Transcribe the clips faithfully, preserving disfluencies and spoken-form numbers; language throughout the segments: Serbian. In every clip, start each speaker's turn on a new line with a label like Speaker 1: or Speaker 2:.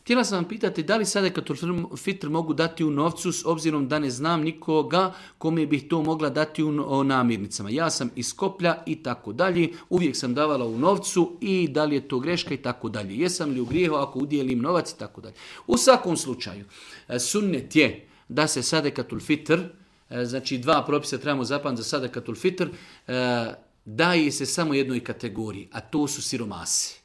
Speaker 1: Htjela sam vam pitati da li sadekatul fitr mogu dati u novcu s obzirom da ne znam nikoga kome bih to mogla dati u namirnicama. Ja sam iz Skoplja i tako dalje, uvijek sam davala u novcu i da li je to greška i tako dalje. Jesam li u grijehu ako udjelim novac i tako dalje. U svakom slučaju, sunnet je da se sadekatul fitr, znači dva propisa trebamo zapamtiti za sadekatul fitr, daje se samo jednoj kategoriji, a to su siromasi.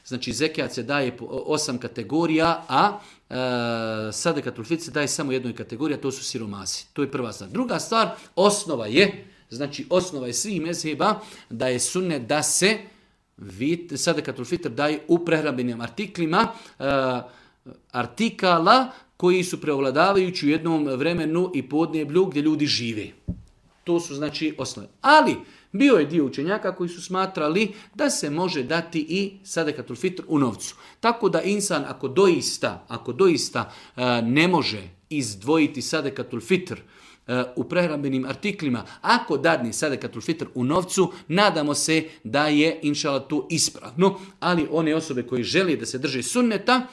Speaker 1: Znači zekijat se daje po osam kategorija, a e, sadekatul fitr se daje samo jednoj kategoriji, a to su siromasi. To je prva stvar. Druga stvar, osnova je, znači osnova je svih mezheba da je sunnet da se sadekatul fitr daje u prehrambenim artiklima, e, artikala koji su preovladavajući u jednom vremenu i podneblju gdje ljudi žive. To su znači osnove. Ali bio je dio učenjaka koji su smatrali da se može dati i sadekatul fitr u novcu. Tako da insan ako doista, ako doista uh, ne može izdvojiti sadekatul fitr uh, u prehrambenim artiklima, ako dadne sadekatul fitr u novcu, nadamo se da je inšala to ispravno. Ali one osobe koje žele da se drže sunneta,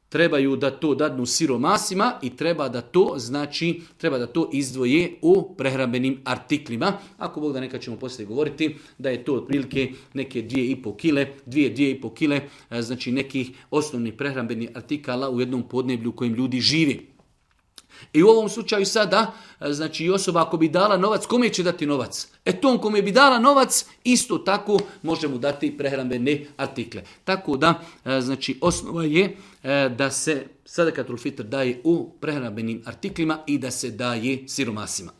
Speaker 1: trebaju da to dadnu siromasima i treba da to znači treba da to izdvoje u prehrambenim artiklima. Ako Bog da, nekad ćemo poslije govoriti da je to otprilike neke dvije i pol kile, dvije, dvije i pol kile, znači nekih osnovnih prehrambenih artikala u jednom podneblju u kojem ljudi živi. I u ovom slučaju sada, znači osoba ako bi dala novac, kome će dati novac? E tom kome bi dala novac, isto tako može mu dati prehrambene artikle. Tako da, znači osnova je da se sadekatul fitr daje u prehrambenim artiklima i da se daje siromasima.